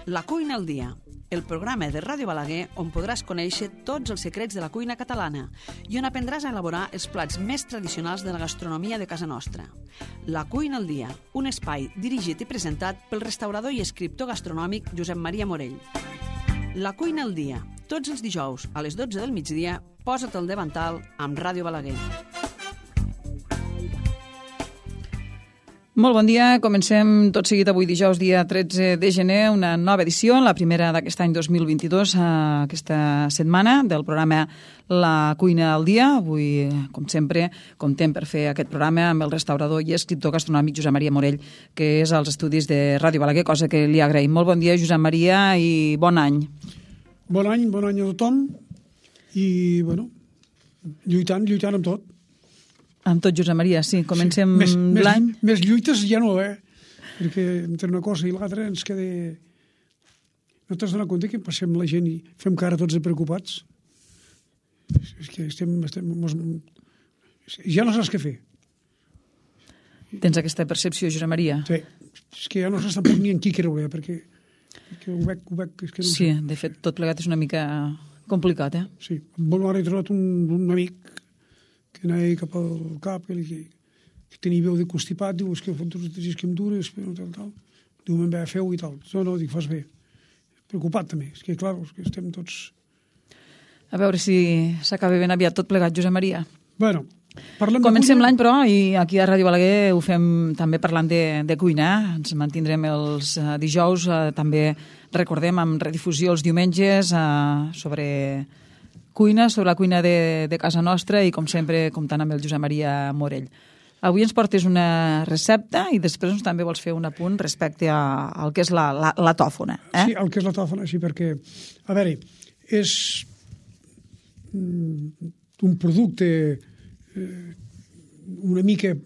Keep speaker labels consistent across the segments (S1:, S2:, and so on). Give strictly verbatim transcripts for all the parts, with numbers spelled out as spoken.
S1: La cuina al dia, el programa de Ràdio Balaguer on podràs conèixer tots els secrets de la cuina catalana i on aprendràs a elaborar els plats més tradicionals de la gastronomia de casa nostra. La cuina al dia, un espai dirigit i presentat pel restaurador i escriptor gastronòmic Josep Maria Morell. La cuina al dia, tots els dijous a les dotze del migdia, posa't al davantal amb Ràdio Balaguer.
S2: Molt bon dia, comencem tot seguit avui dijous, dia tretze de gener, una nova edició, la primera d'aquest any dos mil vint-i-dos, aquesta setmana, del programa La cuina al dia. Avui, com sempre, comptem per fer aquest programa amb el restaurador i escriptor gastronòmic Josep Maria Morell, que és als estudis de Ràdio Balaguer, cosa que li agraïm. Molt bon dia, Josep Maria, i bon any.
S3: Bon any, bon any a tothom, i, bueno, lluitant, lluitant amb tot.
S2: Amb tot, Josep Maria, sí. Comencem
S3: sí. més,
S2: l'any.
S3: Més, més lluites ja no, eh? Perquè entre una cosa i l'altra ens queda... No t'has donat compte que passem la gent i fem cara tots de preocupats? És que estem... estem mos... Ja no saps què fer.
S2: Tens aquesta percepció, Josep Maria?
S3: Sí. És que ja no saps tampoc ni en qui creure, perquè, perquè ho veig... Ho veig és que no
S2: sí,
S3: sé.
S2: De fet, tot plegat és una mica complicat, eh?
S3: Sí. Bon, ara he trobat un, un amic que anava cap al cap, que, que, que tenia veu de constipat, diu, és que fa tots els dies que em dures, tal, tal. Diu, me'n ve a feu i tal. No, no, dic, fas bé. Preocupat també, és que, clar, és que estem tots...
S2: A veure si s'acaba ben aviat tot plegat, Josep Maria.
S3: Bueno, parlem de
S2: Comencem
S3: cuina.
S2: l'any, però, i aquí a Ràdio Balaguer ho fem també parlant de, de cuina. Ens mantindrem els uh, dijous, uh, també recordem amb redifusió els diumenges uh, sobre... cuina, sobre la cuina de, de casa nostra i, com sempre, comptant amb el Josep Maria Morell. Avui ens portes una recepta i després ens també vols fer un apunt respecte a, al que és la, la, la tòfona. Eh?
S3: Sí, el que és la tòfona, sí, perquè, a veure, és un producte eh, una mica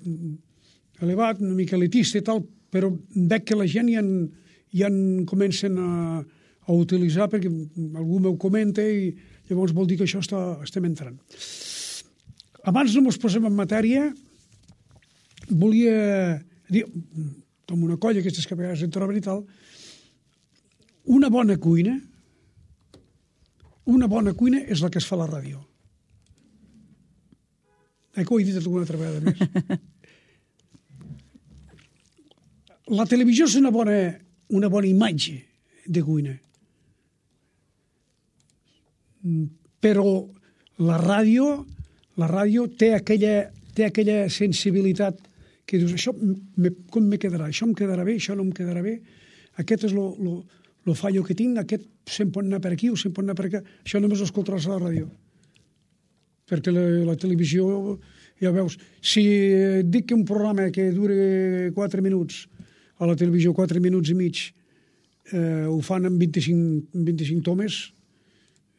S3: elevat, una mica elitista i tal, però veig que la gent ja en, ja en comencen a, a utilitzar perquè algú m'ho comenta i llavors vol dir que això està, estem entrant. Abans no ens posem en matèria, volia dir, com una colla, aquestes que a vegades en troben i tal, una bona cuina, una bona cuina és la que es fa a la ràdio. Eh, que ho he dit alguna altra vegada més. La televisió és una bona, una bona imatge de cuina. Però la ràdio la ràdio té aquella, té aquella sensibilitat que dius, això me, com me quedarà? Això em quedarà bé, això no em quedarà bé, aquest és lo, lo, lo fallo que tinc, aquest se'n pot anar per aquí o se'n pot anar per aquí. Això només ho escoltaràs a la ràdio. Perquè la, la televisió, ja veus, si dic que un programa que dure quatre minuts, a la televisió quatre minuts i mig, eh, ho fan en vint-i-cinc, vint-i-cinc tomes,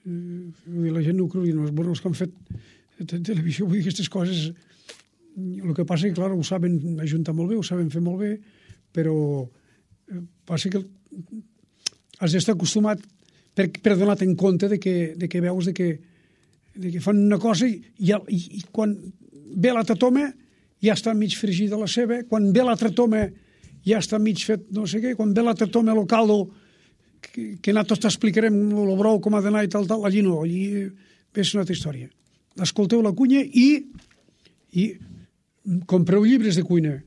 S3: eh, la gent no ho creu, no, bueno, els que han fet de televisió, vull dir, aquestes coses, el que passa és que, clar, ho saben ajuntar molt bé, ho saben fer molt bé, però eh, passa que has d'estar acostumat per, per donar-te en compte de que, de que veus de que, de que fan una cosa i, i, i quan ve l'altra toma ja està mig fregida la ceba, quan ve l'altra toma ja està mig fet no sé què, quan ve l'altra toma el caldo que, que nosaltres t'explicarem el brou com ha d'anar i tal, tal, allí no, allí és una altra història. Escolteu la cuina i, i compreu llibres de cuina.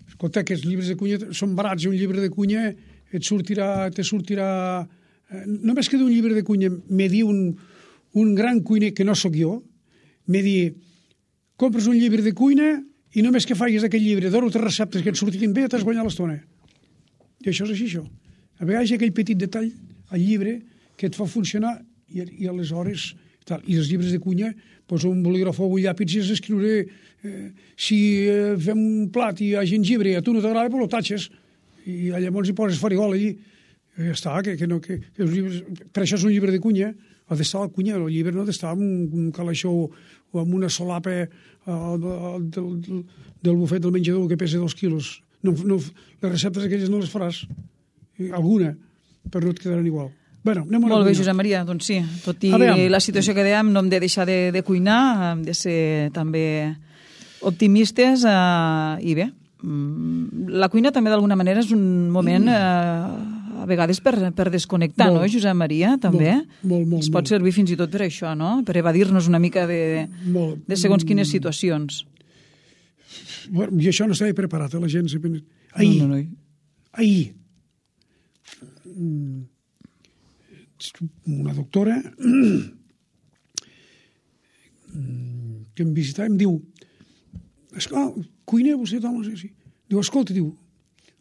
S3: Escolta, aquests llibres de cuina són barats, un llibre de cuina et sortirà, te sortirà... Només que d'un llibre de cuina me diu un, un gran cuiner, que no sóc jo, me diu, compres un llibre de cuina i només que facis d'aquest llibre d'or o tres receptes que et sortiguin bé, t'has guanyat l'estona. I això és així, això. A vegades hi ha aquell petit detall al llibre que et fa funcionar i, i aleshores... Tal. I els llibres de cuina, poso un bolígrafo o un llàpid i els escriuré eh, si eh, fem un plat i hi ha gengibre i a tu no t'agrada, però lo tatxes i llavors hi poses farigola allí i ja està, que, que no, que, que els llibres, per això és un llibre de cuina, ha d'estar a la cuina, el llibre no ha d'estar en un, un calaixó o en una solapa eh, del, del, del bufet del menjador que pesa dos quilos. No, no, les receptes aquelles no les faràs, alguna, però no et quedaran igual. Bueno,
S2: molt bé, Josep Maria, doncs sí, tot i la situació que dèiem, no hem de deixar de, de cuinar, hem de ser també optimistes eh, i bé, la cuina també d'alguna manera és un moment eh, a vegades per, per desconnectar,
S3: molt,
S2: no, Josep Maria, també?
S3: Molt, molt, molt.
S2: Ens pot
S3: molt.
S2: servir fins i tot per això, no? Per evadir-nos una mica de,
S3: molt.
S2: de segons quines situacions.
S3: Bueno, i això no estava preparat, eh, la gent. Ahir,
S2: no, no, no.
S3: ahir, una doctora que em visitava em diu, esclar, cuiner vostè, home, sí, sí. Diu, escolta, diu,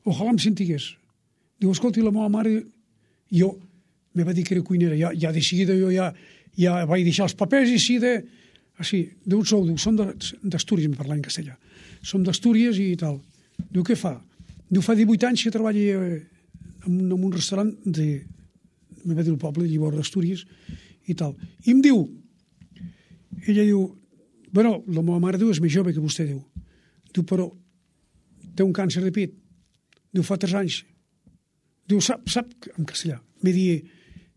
S3: ojalà em sentigués. Diu, escolta, la meva mare, jo, me va dir que era cuinera, ja, ja de seguida jo ja, ja vaig deixar els papers i sí de... Així, d'on sou? Diu, som d'Astúries, em parla en castellà. Som d'Astúries i tal. Diu, què fa? Diu, fa divuit anys que treballa en, en un restaurant de... me va dir el poble, llavors d'Astúries i tal. I em diu, ella diu, bueno, la meva mare diu, és més jove que vostè, diu. Diu, però té un càncer de pit. Diu, fa tres anys. Diu, sap, sap, en castellà, me di,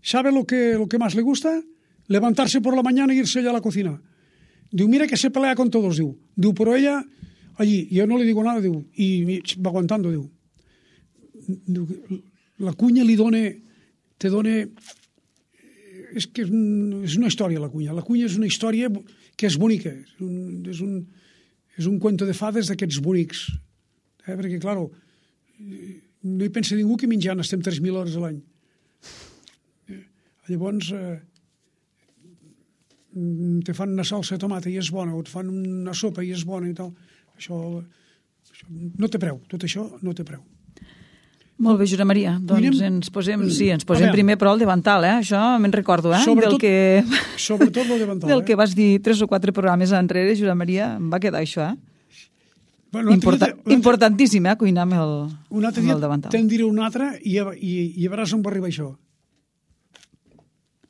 S3: ¿sabe lo que, lo que más le gusta? Levantarse por la mañana e irse allá a la cocina. Diu, mira que se pelea con todos, diu. Diu, però ella, allí, yo no le digo nada, diu, i va aguantando, diu. Diu, la cuina li dona, te dona, és que és, un, és una història, la cuina. La cuina és una història que és bonica, és un, és un, és un cuento de fades d'aquests bonics. Eh? Perquè, clar, no hi pensa ningú que menjant estem tres mil hores a l'any. Eh? Llavors, eh, te fan una salsa de tomata i és bona, o et fan una sopa i és bona i tal. Això, això no té preu, tot això no té preu.
S2: Molt bé, Josep Maria. Doncs Cuinem... ens posem, sí, ens posem primer, però el davantal, eh? Això me'n recordo, eh?
S3: Sobretot,
S2: del que...
S3: sobretot el davantal.
S2: Del
S3: eh?
S2: que vas dir tres o quatre programes enrere, Josep Maria, em va quedar això, eh?
S3: Bueno,
S2: Importa...
S3: dia,
S2: Importantíssim, eh? Cuinar amb el,
S3: un altre
S2: amb
S3: dia
S2: el davantal.
S3: Te'n diré un altre i, i, i veuràs on va arribar això.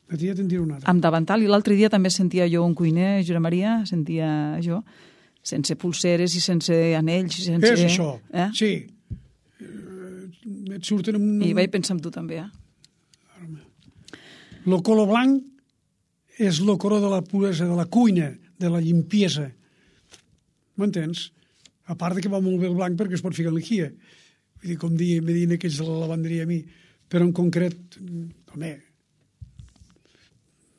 S3: Un dia te'n diré un altre.
S2: Amb davantal, i l'altre dia també sentia jo un cuiner, Josep Maria, sentia jo, sense pulseres i sense anells. I sense...
S3: És això,
S2: eh?
S3: sí. Et surten amb...
S2: I vaig pensar en tu també, eh?
S3: El color blanc és el color de la puresa, de la cuina, de la limpiesa. M'entens? A part de que va molt bé el blanc perquè es pot ficar en l'equia. Vull dir, com dir, me diuen aquells de la lavanderia a mi. Però en concret, home,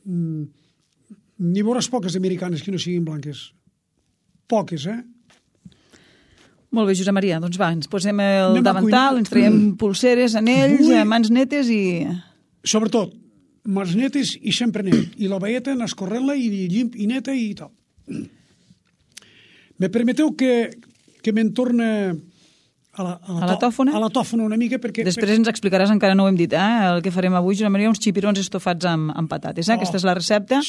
S3: n'hi veuràs poques americanes que no siguin blanques. Poques, eh?
S2: Molt bé, Josep Maria. Doncs va, ens posem el
S3: Anem
S2: davantal, ens traiem pulseres, anells, Vull... mans netes i...
S3: Sobretot, mans netes i sempre net. I la veieta anar escorrent-la i llimp i neta i tal. Me permeteu que, que me'n torne a la, a la,
S2: a la tòfona?
S3: A la tòfona una mica perquè...
S2: Després ens explicaràs, encara no ho hem dit, eh? El que farem avui, Josep Maria, uns xipirons estofats amb, amb patates. Eh? Oh. Aquesta és la recepta.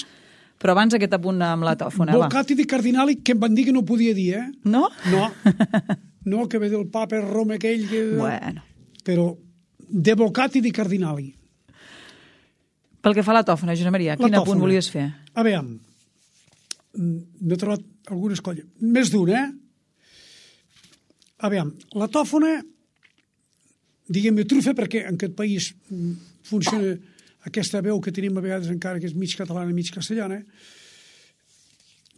S2: Però abans aquest apunt amb la tòfona, va.
S3: Bocati di cardinali, que em van dir que no podia dir, eh?
S2: No?
S3: No. No, que ve del papa Roma aquell... Que...
S2: Bueno.
S3: Però de bocati di cardinali.
S2: Pel que fa a la tòfona, Josep Maria, quin apunt volies fer?
S3: A veure, n'he trobat algunes colles. Més d'un, eh? A veure, la tòfona, diguem-ne trufa, perquè en aquest país funciona... aquesta veu que tenim a vegades encara que és mig catalana i mig castellana,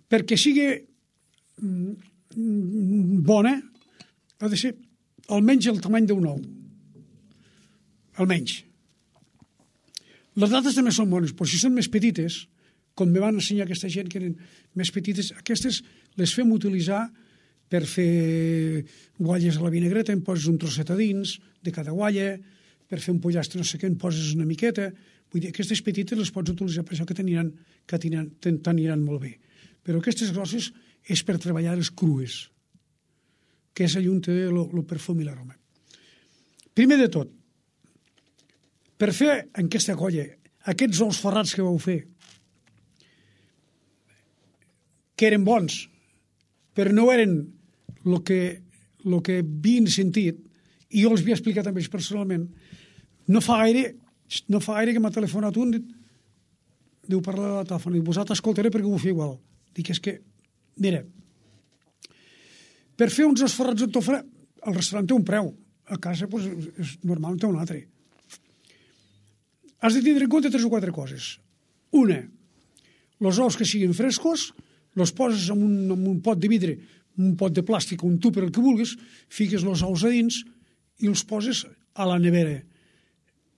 S3: perquè sigui bona, ha de ser almenys el tamany d'un ou. Almenys. Les dates també són bones, però si són més petites, com me van ensenyar aquesta gent que eren més petites, aquestes les fem utilitzar per fer gualles a la vinagreta, en poses un trosset a dins de cada gualla, per fer un pollastre no sé què, en poses una miqueta. Vull dir, aquestes petites les pots utilitzar per això que t'aniran que t'aniran molt bé. Però aquestes grosses és per treballar les crues, que és allà on té el perfum i l'aroma. Primer de tot, per fer en aquesta colla aquests ous ferrats que vau fer, que eren bons, però no eren el que, el que havien sentit, i jo els havia explicat a ells personalment, no fa gaire... No fa gaire que m'ha telefonat un, diu parlar de la tòfona, i vosaltres escoltaré perquè ho feu igual. Dic, és que, mira, per fer uns esforrats de tòfona, el restaurant té un preu, a casa pues, és normal, té un altre. Has de tindre en compte tres o quatre coses. Una, els ous que siguin frescos, els poses en un, en un pot de vidre, un pot de plàstic, un tupper, el que vulguis, fiques els ous a dins i els poses a la nevera.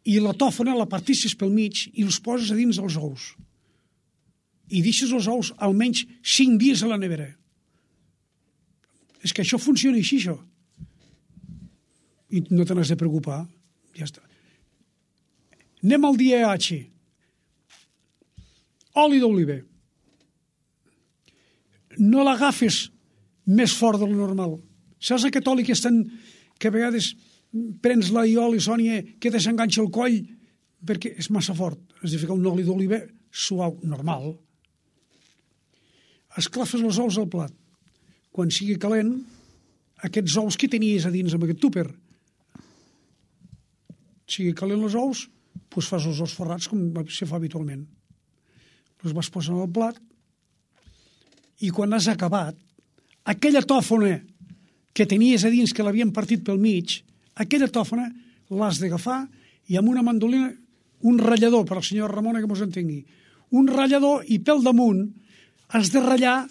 S3: i la tòfona la partissis pel mig i els poses a dins els ous. I deixes els ous almenys cinc dies a la nevera. És que això funciona així, això. I no te n'has de preocupar. Ja està. Anem al D H. Oli d'oliva. No l'agafes més fort del normal. Saps aquest oli que estan, que a vegades prens l'aioli, Sònia, que te s'enganxa el coll perquè és massa fort. Has de ficar un oli d'oliva suau, normal. Esclafes els ous al plat. Quan sigui calent, aquests ous que tenies a dins amb aquest túper. Sigui calent els ous, doncs fas els ous ferrats com se fa habitualment. Els vas posar al plat i quan has acabat, aquella tòfona que tenies a dins que l'havien partit pel mig, aquella tòfona l'has d'agafar i amb una mandolina, un ratllador, per al senyor Ramona que mos entengui, un ratllador i pel damunt has de ratllar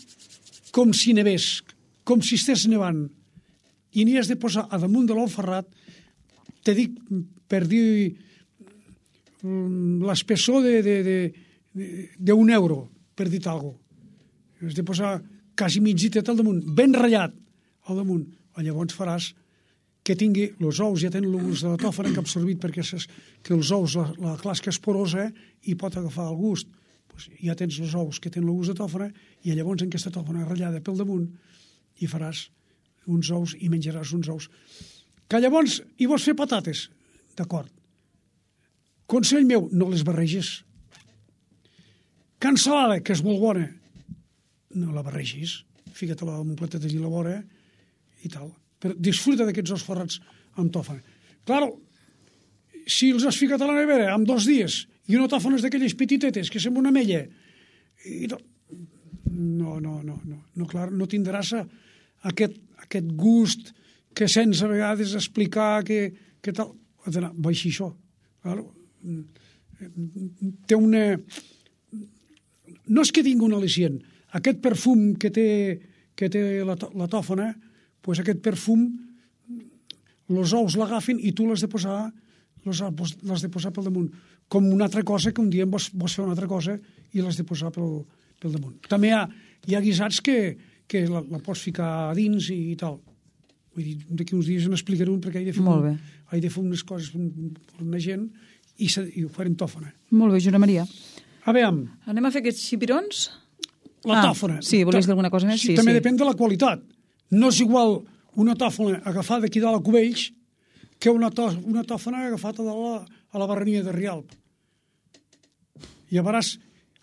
S3: com si nevés, com si estés nevant. I n'hi has de posar a damunt de l'ou ferrat, te dic per dir l'espessor d'un euro, per dir alguna cosa. Has de posar quasi mitgitet al damunt, ben ratllat al damunt. Llavors faràs que tingui, els ous ja tenen el gust de la tòfona que ha absorbit perquè saps que els ous, la, la clasca és porosa i pot agafar el gust. Pues ja tens els ous que tenen el gust de tòfona i llavors en aquesta tòfona ratllada pel damunt i faràs uns ous i menjaràs uns ous. Que llavors hi vols fer patates? D'acord. Consell meu, no les barregis. Que ensalada, que és molt bona, no la barregis. Fica-te-la en un platet allí a la vora i tal. Però disfruta d'aquests ous ferrats amb tòfona. Claro, si els has ficat a la nevera en dos dies i una tòfona és d'aquelles petitetes que sembla una mella, i no, no, no, no, no, no, clar, no tindràs aquest, aquest gust que sents a vegades explicar que, que tal. Ha d'anar, va així això. Claro, té una... No és que tingui un al·licient. Aquest perfum que té, que té la, la tòfona, pues aquest perfum, els ous l'agafen i tu l'has de posar l'has de posar pel damunt. Com una altra cosa que un dia vols, vols fer una altra cosa i l'has de posar pel, pel damunt. També hi ha, hi ha guisats que, que la, la pots ficar a dins i, i tal. Vull dir, d'aquí uns dies n'explicaré un perquè he de fer, un, he de fer unes coses per una gent i, se, i ho farem tòfona.
S2: Molt bé, Josep Maria.
S3: A veure...
S2: Anem a fer aquests xipirons?
S3: La
S2: ah,
S3: tòfona.
S2: Sí, volies dir alguna cosa més?
S3: Sí,
S2: sí,
S3: també
S2: sí.
S3: Depèn de la qualitat. No és igual una tòfona agafada aquí dalt a Cubells que una, to, una tòfona agafada a la, a la barrania de Rialp. Llavors,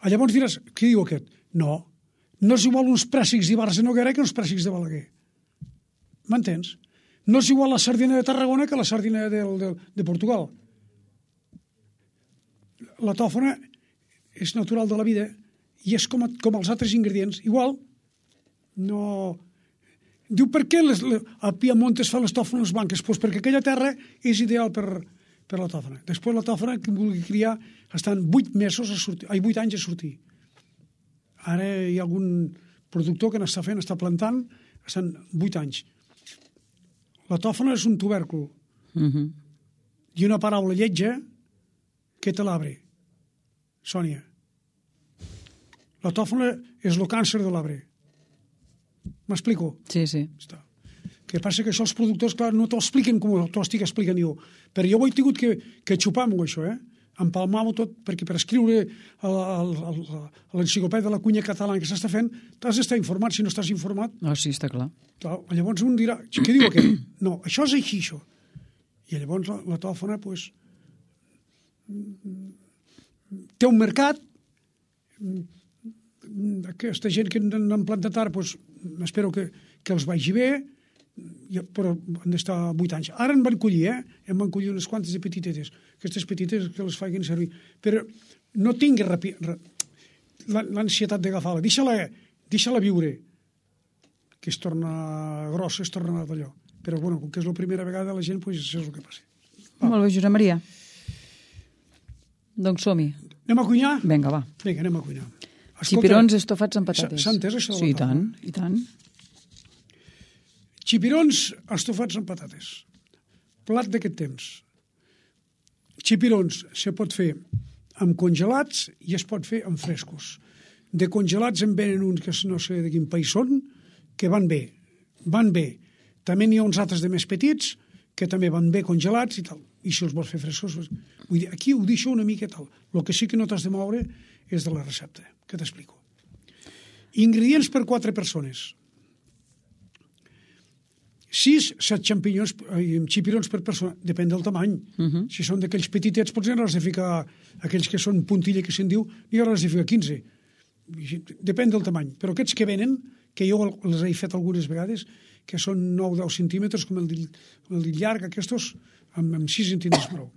S3: llavors diràs, què diu aquest? No, no és igual uns prèssics d'Ibars de Noguera que uns prèssics de Balaguer. M'entens? No és igual la sardina de Tarragona que la sardina de, de, de Portugal. La tòfona és natural de la vida i és com, com els altres ingredients. Igual, no... Diu, per què les, les, a Piemont es fan les tòfones blanques? Pues perquè aquella terra és ideal per, per la tòfona. Després la tòfona, que vulgui criar, estan vuit mesos a sortir, ai, vuit anys a sortir. Ara hi ha algun productor que n'està fent, està plantant, estan vuit anys. La tòfona és un tubèrcul.
S2: Uh-huh.
S3: I una paraula lletja que te l'abre. Sònia. La tòfona és el càncer de l'arbre. M'explico?
S2: Sí, sí.
S3: Està. Que passa que això els productors, clar, no t'ho expliquen com t'ho estic explicant jo. Però jo ho he tingut que, que xupar-m'ho, això, eh? Empalmar-ho tot, perquè per escriure a l'enciclopèdia de la cuina catalana que s'està fent, t'has d'estar informat. Si no estàs informat...
S2: Oh, sí, està clar.
S3: clar llavors un dirà, què diu aquest? No, això és així, això. I llavors la, la tòfona, doncs, té un mercat, aquesta gent que n'han plantat ara, doncs, espero que, que els vagi bé, però han d'estar vuit anys. Ara en van collir, eh? En van collir unes quantes de petitetes. Aquestes petites que les facin servir. Però no tingui l'ansietat d'agafar-la. Deixa-la deixa-la viure, que es torna grossa, es torna d'allò. Però, bueno, com que és la primera vegada, la gent, doncs, això és el que passa.
S2: Va. Molt bé, Josep Maria. Doncs som-hi.
S3: Anem a cuinar?
S2: Vinga, va.
S3: Vinga, anem a cuinar. Escolta,
S2: xipirons estofats amb patates.
S3: S'ha entès això de la
S2: Sí, i
S3: tòfona?
S2: tant, i tant.
S3: Xipirons estofats amb patates. Plat d'aquest temps. xipirons se pot fer amb congelats i es pot fer amb frescos. De congelats en venen uns que no sé de quin país són, que van bé, van bé. També n'hi ha uns altres de més petits que també van bé congelats i tal. I si els vols fer frescos... Vull dir, aquí ho deixo una mica tal. El que sí que no t'has de moure és de la recepta, que t'explico. Ingredients per quatre persones. Sis, set xampinyons, xipirons per persona, depèn del tamany. Uh -huh. Si són d'aquells petitets, potser n'has de ficar, aquells que són puntilla, que se'n diu, n'hi hauràs de ficar quinze. Depèn del tamany. Però aquests que venen, que jo els he fet algunes vegades, que són nou o deu centímetres, com el dit, com el dit llarg, aquests, amb, amb sis centímetres prou.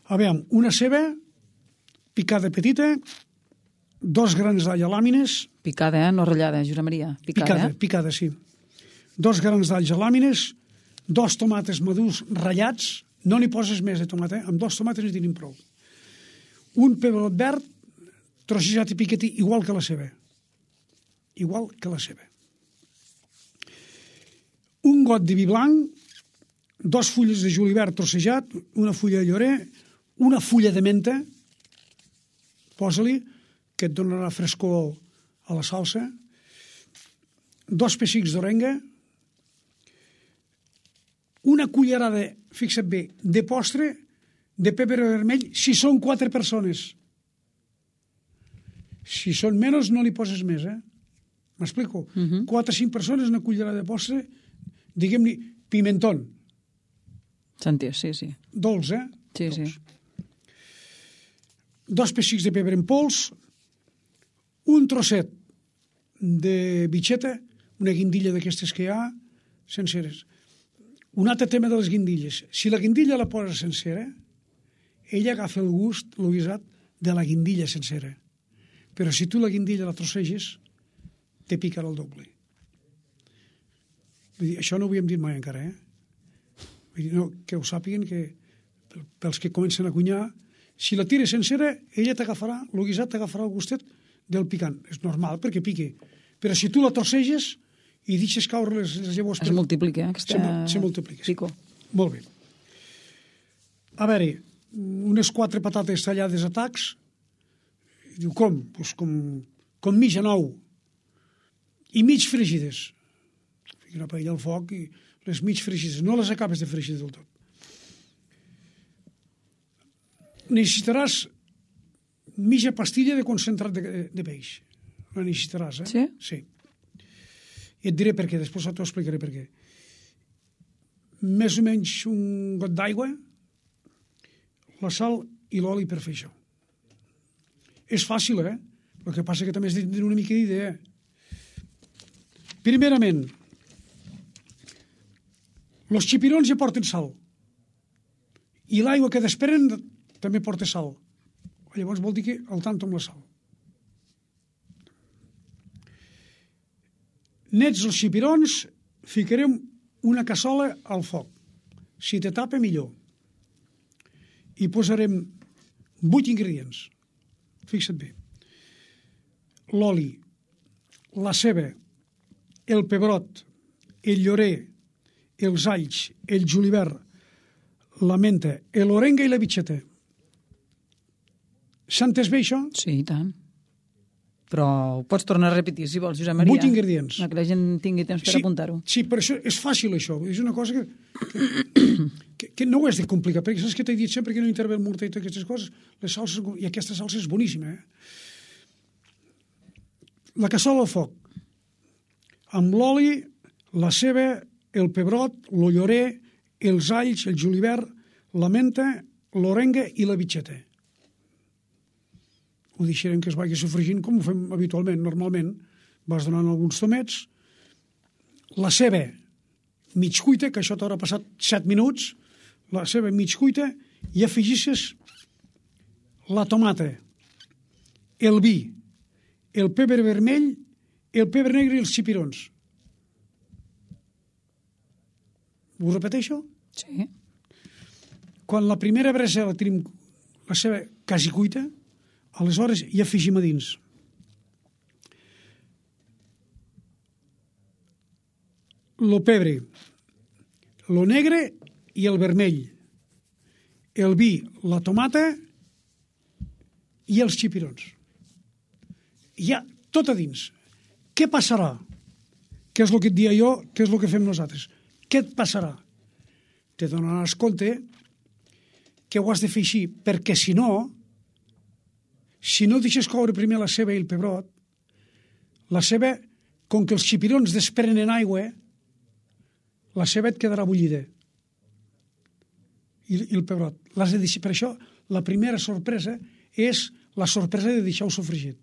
S3: A veure, una ceba, picada petita, dos grans d'all a làmines.
S2: Picada, eh? No ratllada, Josep Maria. Picada,
S3: picada,
S2: eh?
S3: picada, sí. Dos grans d'alls a làmines, dos tomates madurs ratllats, no n'hi poses més de tomata, eh? Amb dos tomates n'hi tenim prou. Un pebrot verd, trossejat i piquetí, igual que la ceba. Igual que la ceba. Un got de vi blanc, dos fulles de julivert trossejat, una fulla de llorer, una fulla de menta, posa-li, que et donarà frescor a la salsa, dos pessics d'orenga, una cullerada, fixa't bé, de postre, de pebre vermell, si són quatre persones. Si són menys, no li poses més, eh? M'explico? Uh -huh. Quatre o cinc persones, una cullerada de postre, diguem-ne, pimentón.
S2: Sentir, sí, sí.
S3: Dolç, eh?
S2: Sí,
S3: Dolç.
S2: sí.
S3: Dos pessics de pebre en pols, un trosset de bitxeta, una guindilla d'aquestes que hi ha, senceres. Un altre tema de les guindilles. Si la guindilla la poses sencera, ella agafa el gust, el guisat, de la guindilla sencera. Però si tu la guindilla la trosseges, te picarà el doble. Vull dir, això no ho havíem dit mai encara, eh? Vull dir, no, que ho sàpiguen, que pels que comencen a cuinar, si la tires sencera, ella t'agafarà, el guisat t'agafarà el gustet del picant. És normal, perquè pique. Però si tu la trosseges i deixes caure les, les llavors...
S2: Es per... multiplica, aquesta...
S3: Se, se multiplica.
S2: Pico.
S3: Molt bé. A veure, unes quatre patates tallades a tacs. Diu, com? Pues com, com mig a nou. I mig fregides. Fica una paella al foc i les mig fregides. No les acabes de fregir del tot. Necessitaràs mitja pastilla de concentrat de, de peix. La necessitaràs, eh?
S2: Sí?
S3: Sí. I et diré per què, després t'ho explicaré per què. Més o menys un got d'aigua, la sal i l'oli per fer això. És fàcil, eh? El que passa que també has de tenir una mica d'idea. Primerament, els xipirons ja porten sal. I l'aigua que desprenen també porta sal. Llavors vol dir que al tanto amb la sal. Nets els xipirons, ficarem una cassola al foc. Si te tapa, millor. I posarem vuit ingredients. Fixa't bé. L'oli, la ceba, el pebrot, el llorer, els alls, el julivert, la menta, l'orenga i la bitxeta. S'ha entès bé, això?
S2: Sí, i tant. Però ho pots tornar a repetir, si vols, Josep Maria.
S3: Vuit ingredients.
S2: Que la gent tingui temps per
S3: sí,
S2: apuntar-ho.
S3: Sí, però això és fàcil, això. És una cosa que, que, que, que no ho has de complicar, perquè saps que t'he dit sempre que no intervé el morter i totes aquestes coses, les salses, i aquesta salsa és boníssima, eh? La cassola al foc, amb l'oli, la ceba, el pebrot, el llorer, els alls, el julivert, la menta, l'orenga i la bitxeta. Ho deixarem que es vagi sofregint com ho fem habitualment. Normalment vas donant alguns tomets, la ceba mig cuita, que això t'haurà passat set minuts, la ceba mig cuita, i afegisses la tomata, el vi, el pebre vermell, el pebre negre i els xipirons. Ho repeteixo?
S2: Sí.
S3: Quan la primera brasa la tenim la ceba quasi cuita, aleshores hi afegim a dins lo pebre, lo negre i el vermell, el vi, la tomata i els xipirons. Hi ha tot a dins. Què passarà? Què és el que et dia jo? Què és el que fem nosaltres? Què et passarà? Te donaràs compte que ho has de fer així, perquè si no, si no deixes coure primer la ceba i el pebrot, la ceba, com que els xipirons desprenen aigua, la ceba et quedarà bullida. I, i el pebrot. L'has de deixar. Per això, la primera sorpresa és la sorpresa de deixar-ho sofregit.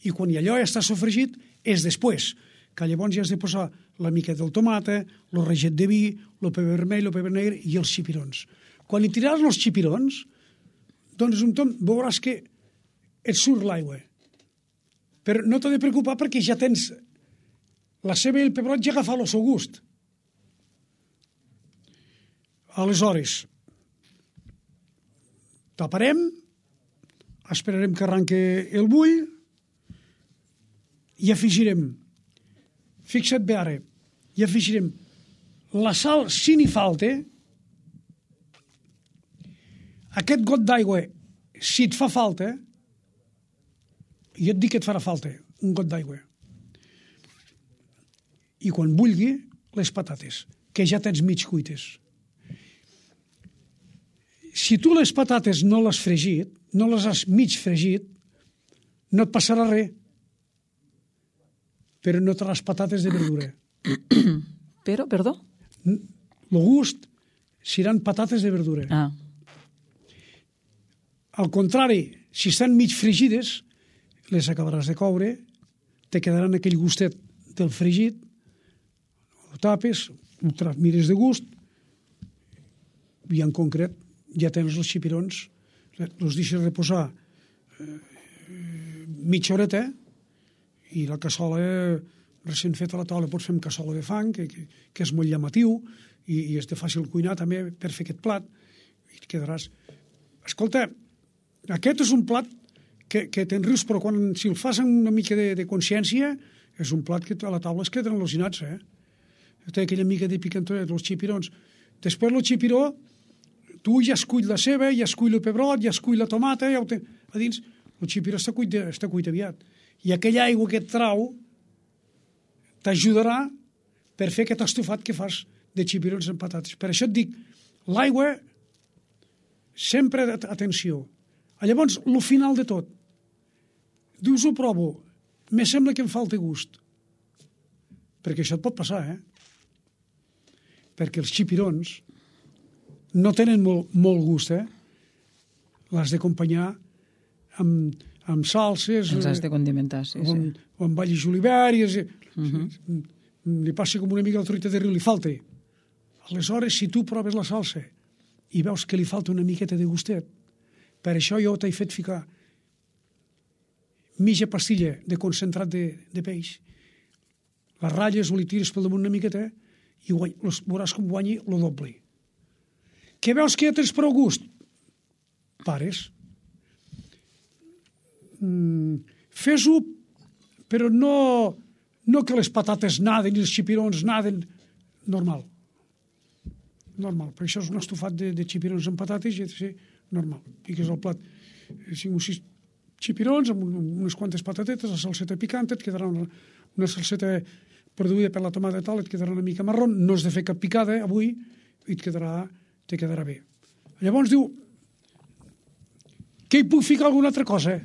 S3: I quan allò ja està sofregit, és després, que llavors ja has de posar la mica del tomata, el reget de vi, el pebre vermell, el pebre negre i els xipirons. Quan hi tiraràs els xipirons, doncs un tom veuràs que et surt l'aigua. Però no t'ha de preocupar perquè ja tens la ceba i el pebrot ja agafar el seu gust. Aleshores, taparem, esperarem que arranque el bull i afegirem, fixa't bé ara, i afegirem la sal si n'hi falta, aquest got d'aigua, si et fa falta, jo et dic que et farà falta, un got d'aigua. I quan vulgui, les patates, que ja tens mig cuites. Si tu les patates no les has fregit, no les has mig fregit, no et passarà res. Però no tindràs patates de verdura.
S2: Però, perdó?
S3: El gust seran patates de verdura.
S2: Ah.
S3: Al contrari, si estan mig fregides, les acabaràs de coure, te quedaran aquell gustet del fregit, ho tapes, ho mires de gust, i en concret ja tens els xipirons, els deixes reposar eh, mitja horeta, i la cassola recent feta a la taula pots fer amb cassola de fang, que, que, que és molt llamatiu, i, i és de fàcil cuinar també per fer aquest plat, i et quedaràs... Escolta, aquest és un plat que, que te'n rius, però quan, si el fas amb una mica de, de consciència, és un plat que a la taula es queden al·lucinats, eh? Té aquella mica de picantonet, els xipirons. Després el xipiró, tu ja escull la ceba, ja escull el pebrot, ja escull la tomata, ja ho té a dins. El xipiró està cuit, està cuit aviat. I aquella aigua que et trau t'ajudarà per fer aquest estofat que fas de xipirons amb patates. Per això et dic, l'aigua, sempre atenció. Llavors, el final de tot, dius, ho provo, me sembla que em falta gust. Perquè això et pot passar, eh? Perquè els xipirons no tenen molt, molt gust, eh? L'has d'acompanyar amb, amb salses...
S2: Els has de condimentar, sí,
S3: o amb,
S2: sí.
S3: O amb all i julivert, i
S2: uh -huh.
S3: li passa com una mica la truita de riu, li falta. Aleshores, si tu proves la salsa i veus que li falta una miqueta de gustet, per això jo t'he fet ficar mitja pastilla de concentrat de, de peix, les ratlles o li tires pel damunt una miqueta i guany, veuràs com guanyi el doble. Que veus que ja tens prou gust? Pares. Mm, fes-ho, però no, no que les patates naden i els xipirons naden. Normal. Normal. Per això és un estofat de, de xipirons amb patates i ha de ser normal. Piques el plat cinc o sis xipirons amb unes quantes patatetes, la salseta picant, et quedarà una, una salseta produïda per la tomata i tal, et quedarà una mica marró, no has de fer cap picada avui i et quedarà, te quedarà bé. Llavors diu, que hi puc ficar alguna altra cosa?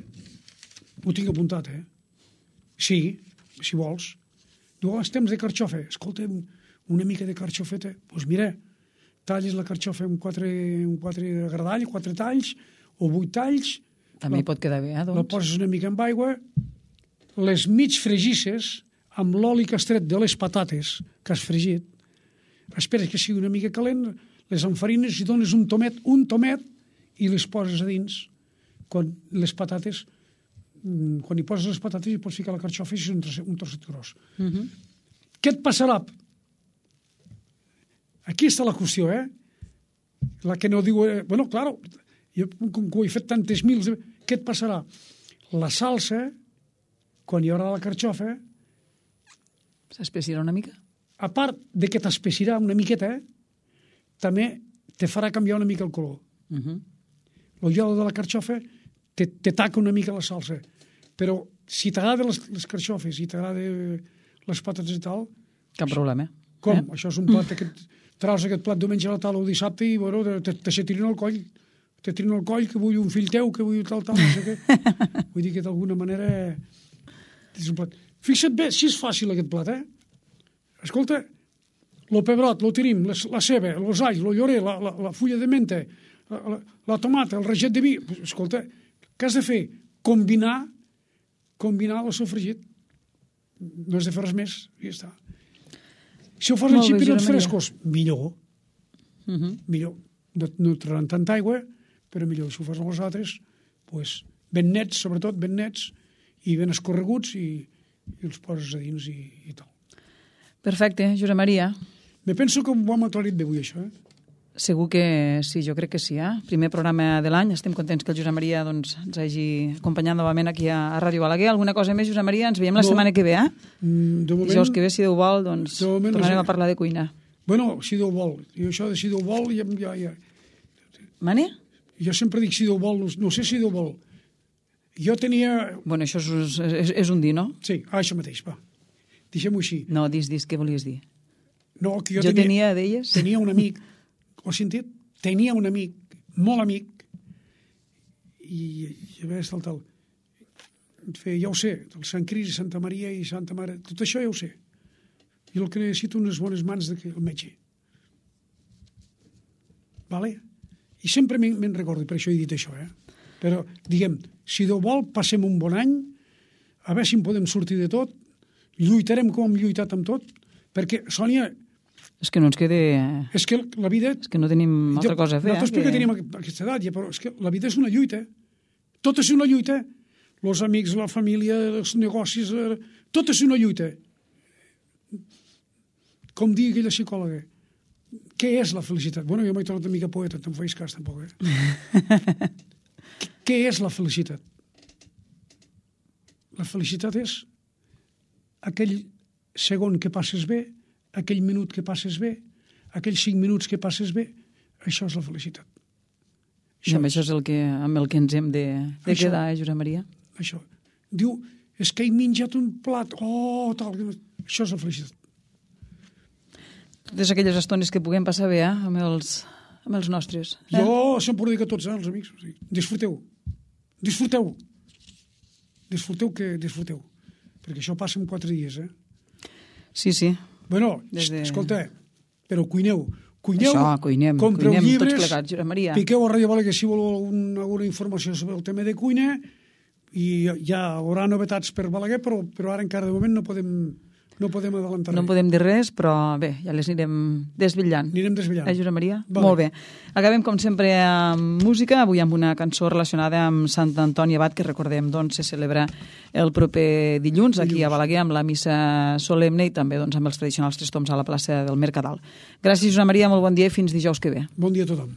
S3: Ho tinc apuntat, eh? Sí, si vols. Diu, oh, estem de carxofa. Escolta, una mica de carxofeta. Doncs pues mira, talles la carxofa amb quatre, amb quatre gradall, quatre talls, o vuit talls.
S2: També
S3: la,
S2: hi pot quedar bé, eh, doncs?
S3: La poses una mica amb aigua, les mig fregisses amb l'oli que has tret de les patates que has fregit, esperes que sigui una mica calent, les enfarines i dones un tomet, un tomet, i les poses a dins. Quan les patates, quan hi poses les patates hi pots ficar la carxofa i és un trosset, un trosset gros. Uh -huh. Què et passarà? Aquí està la qüestió, eh? La que no diu... Eh, bueno, clar, jo com que ho he fet tantes mils... Què et passarà? La salsa, quan hi haurà la carxofa...
S2: S'espessirà una mica?
S3: A part de que t'espessirà una miqueta, eh, també te farà canviar una mica el color.
S2: Uh-huh.
S3: L'oliola de la carxofa te, te taca una mica la salsa, però si t'agrada les, les carxofes, si t'agrada les patates i tal...
S2: Cap problema.
S3: Com?
S2: Eh?
S3: Això és un plat, aquest, traus aquest plat diumenge a la taula o dissabte i, bueno, te, te se tirin al coll. Te tirin al coll, que vull un fill teu, que vull tal, tal, no sé què. Vull dir que d'alguna manera és un plat. Fixa't bé, si és fàcil aquest plat, eh? Escolta, lo pebrot, lo tirim, la, la ceba, los alls, lo llorer, la, la, la fulla de menta, la, la, la tomata, el reget de vi... Escolta, què has de fer? Combinar, combinar el sofregit. No has de fer res més, i ja està. Si ho fas en xipirons frescos, millor.
S2: Uh -huh.
S3: Millor. No, no traran tanta aigua, però millor. Si ho fas amb els altres, pues, ben nets, sobretot, ben nets, i ben escorreguts, i, i els poses a dins i, i tal.
S2: Perfecte, Josep Maria.
S3: Me penso que ho hem aclarit bé avui, això, eh?
S2: Segur que sí, jo crec que sí. Eh? Primer programa de l'any, estem contents que el Josep Maria doncs, ens hagi acompanyat novament aquí a, a Ràdio Balaguer. Alguna cosa més, Josep Maria? Ens veiem la no, setmana que ve, eh?
S3: De moment...
S2: Dijous que ve, si Déu vol, doncs
S3: moment,
S2: tornarem
S3: no sé.
S2: a parlar de cuina.
S3: Bueno, si Déu vol. I això de si Déu vol, ja... ja, ja...
S2: Mani?
S3: Jo sempre dic si Déu vol, no, no sé si Déu vol. Jo tenia...
S2: Bueno, això és, és, és un dir, no?
S3: Sí, ah, això mateix, va. Deixem-ho així.
S2: No, dis, dis, què volies dir?
S3: No, que jo,
S2: jo
S3: tenia,
S2: tenia, deies?
S3: Tenia un amic, ho has sentit? Tenia un amic, molt amic, i, i a veure, tal, tal. Feia, ja ho sé, el Sant Cris, Santa Maria i Santa Mare, tot això ja ho sé. I el que necessito unes bones mans del metge. Vale? I sempre me'n recordo, per això he dit això, eh? Però, diguem, si Déu vol, passem un bon any, a veure si en podem sortir de tot, lluitarem com hem lluitat amb tot, perquè, Sònia...
S2: És que no ens quede...
S3: És que la vida...
S2: És que no tenim altra cosa a fer.
S3: Nosaltres perquè que... tenim aquesta edat, ja, però és que la vida és una lluita. Tot és una lluita. Els amics, la família, els negocis... Tot és una lluita. Com digui aquella psicòloga, què és la felicitat? Bueno, jo m'he tornat una mica poeta, te'n feis cas tampoc, eh? Què és la felicitat? La felicitat és aquell segon que passes bé, aquell minut que passes bé, aquells cinc minuts que passes bé, això és la felicitat.
S2: Això, I amb això és el que, amb el que ens hem de, de això, quedar, eh, Josep Maria?
S3: Això. Diu, és que he menjat un plat, oh, tal, això és la felicitat.
S2: Totes aquelles estones que puguem passar bé, eh, amb els, amb els nostres. Eh?
S3: Jo sempre ho dic a tots, eh, els amics. O sigui, disfruteu. Disfruteu. Disfruteu que disfruteu. Perquè això passa en quatre dies, eh?
S2: Sí, sí.
S3: Bueno, de... escolta, però cuineu. Cuineu,
S2: això, cuinem,
S3: compreu
S2: cuinem
S3: llibres,
S2: tots plegats, Josep Maria.
S3: Piqueu a Ràdio Balaguer si voleu alguna, alguna informació sobre el tema de cuina i ja hi haurà novetats per Balaguer, però, però ara encara de moment no podem, no podem adelantar
S2: No
S3: res.
S2: podem dir res, però bé, ja les anirem desvetllant.
S3: Anirem desvetllant.
S2: Eh, Josep Maria?
S3: Vale.
S2: Molt bé. Acabem, com sempre, amb música, avui amb una cançó relacionada amb Sant Antoni Abat, que recordem, doncs, se celebra el proper dilluns, aquí a Balaguer, amb la missa solemne i també doncs, amb els tradicionals tres toms a la plaça del Mercadal. Gràcies, Josep Maria, molt bon dia i fins dijous que ve.
S3: Bon dia a tothom.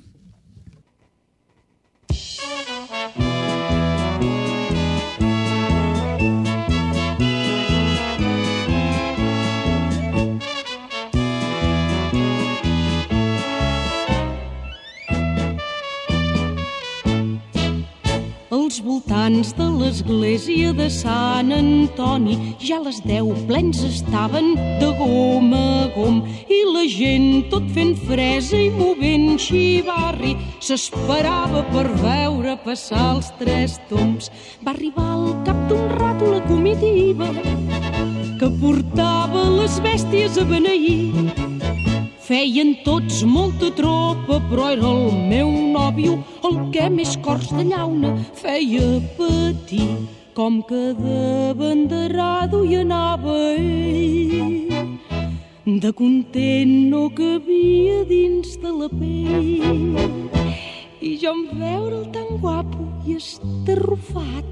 S4: Als voltants de l'església de Sant Antoni ja les deu plens estaven de gom a gom i la gent tot fent fresa i movent xivarri s'esperava per veure passar els tres tombs. Va arribar al cap d'un rato la comitiva que portava les bèsties a beneir. Feien tots molta tropa, però era el meu nòvio el que més cors de llauna feia patir. Com que de banderado hi anava ell, de content no cabia dins de la pell. I jo en veure'l tan guapo i estarrufat,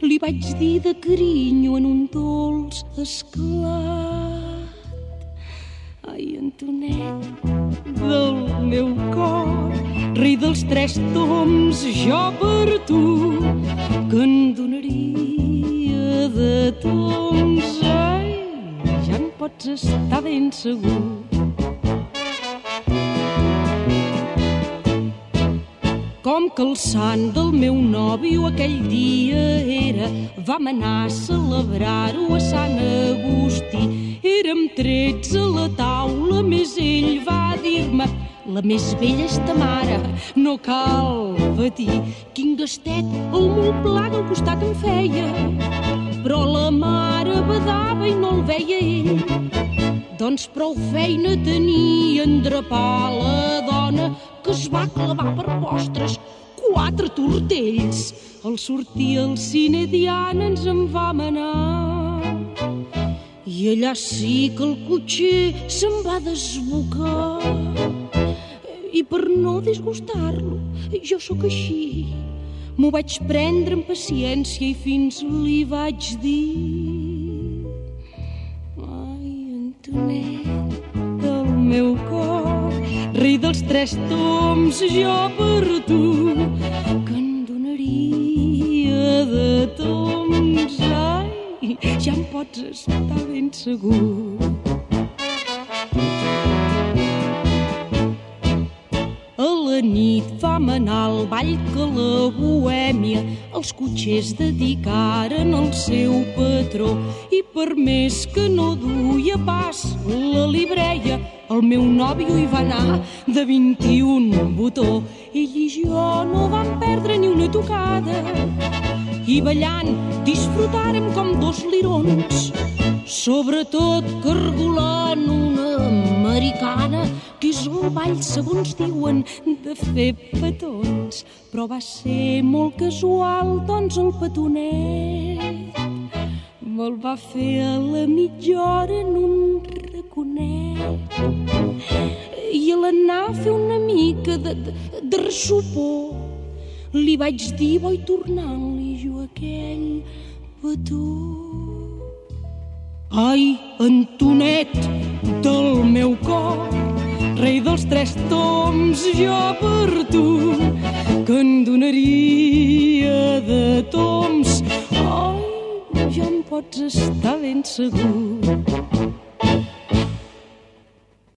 S4: li vaig dir de carinyo en un dolç esclat: ai, Antonet del meu cor, rei dels tres toms, jo per tu, que en donaria de toms. Ai, ja en pots estar ben segur. Com que el sant del meu nòvio aquell dia era, vam anar a celebrar-ho a Sant Agustí. Érem tretze a la taula, més ell va dir-me: la més vella és ta mare, no cal patir. Quin gastet el molt pla al costat em feia, però la mare badava i no el veia ell. Doncs prou feina tenia en drapar la dona, que es va clavar per postres quatre tortells. Al sortir al cine Diana ens en vam anar, i allà sí que el cotxer se'n va desbocar. I per no disgustar-lo, jo sóc així, m'ho vaig prendre amb paciència i fins li vaig dir: ai, Antonet del meu cor, rei dels tres toms, jo per tu, que en donaria de toms. Ai, ja em pots estar ben segur. A la nit vam anar al ball que la bohèmia els cotxers dedicaren al seu patró, i per més que no duia pas la libreia, el meu nòvio hi va anar de vint-i-un botó. Ell i jo no vam perdre ni una tocada, i ballant disfrutàrem com dos lirons, sobretot cargolant una americana, que és el ball, segons diuen, de fer petons. Però va ser molt casual, doncs el petonet me'l va fer a la mitja hora en un raconet. I a l'anar a fer una mica de, de, de ressupor, li vaig dir: vull tornar-li jo aquell petó. Ai, Antonet del meu cor, rei dels tres toms, jo per tu, que en donaria de toms. Ai, ja em pots estar ben segur.